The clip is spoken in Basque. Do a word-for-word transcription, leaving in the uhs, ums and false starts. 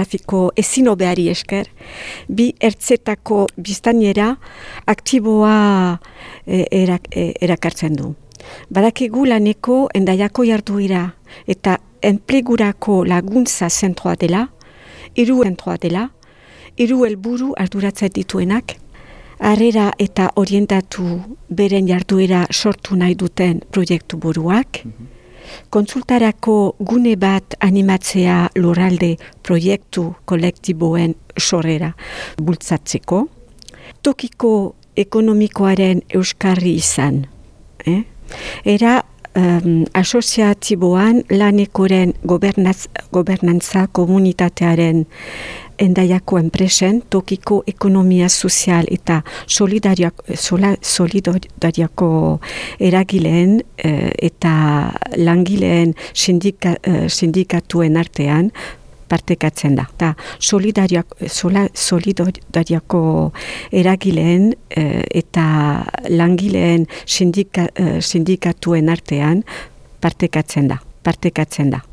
Trafiko ezin hobeari esker, bi ertzetako biztanera aktiboa e, erak, e, erakartzen du. Badakigu laneko Hendaiako jarduera eta enplegurako laguntza zentroa dela, hiru zentroa dela, hiru helburu arduratzen dituenak, harrera eta orientatu beren jarduera sortu nahi duten proiektu buruak, kontsultarako gune bat animatzea lurralde proiektu kolektiboen sorrera bultzatzeko, tokiko ekonomikoaren euskarri izan. Eh? Era um, asoziatiboan lanekoren gobernaz, gobernantza komunitatearen Hendaiako enpresen, tokiko ekonomia sozial eta solidariako, sola, solidariako eragileen eh, eta langileen sindika, eh, sindikatuen artean partekatzen da. Ta solidariako, sola, solidariako eragileen eh, eta langileen sindika, eh, sindikatuen artean partekatzen da. Partekatzen da.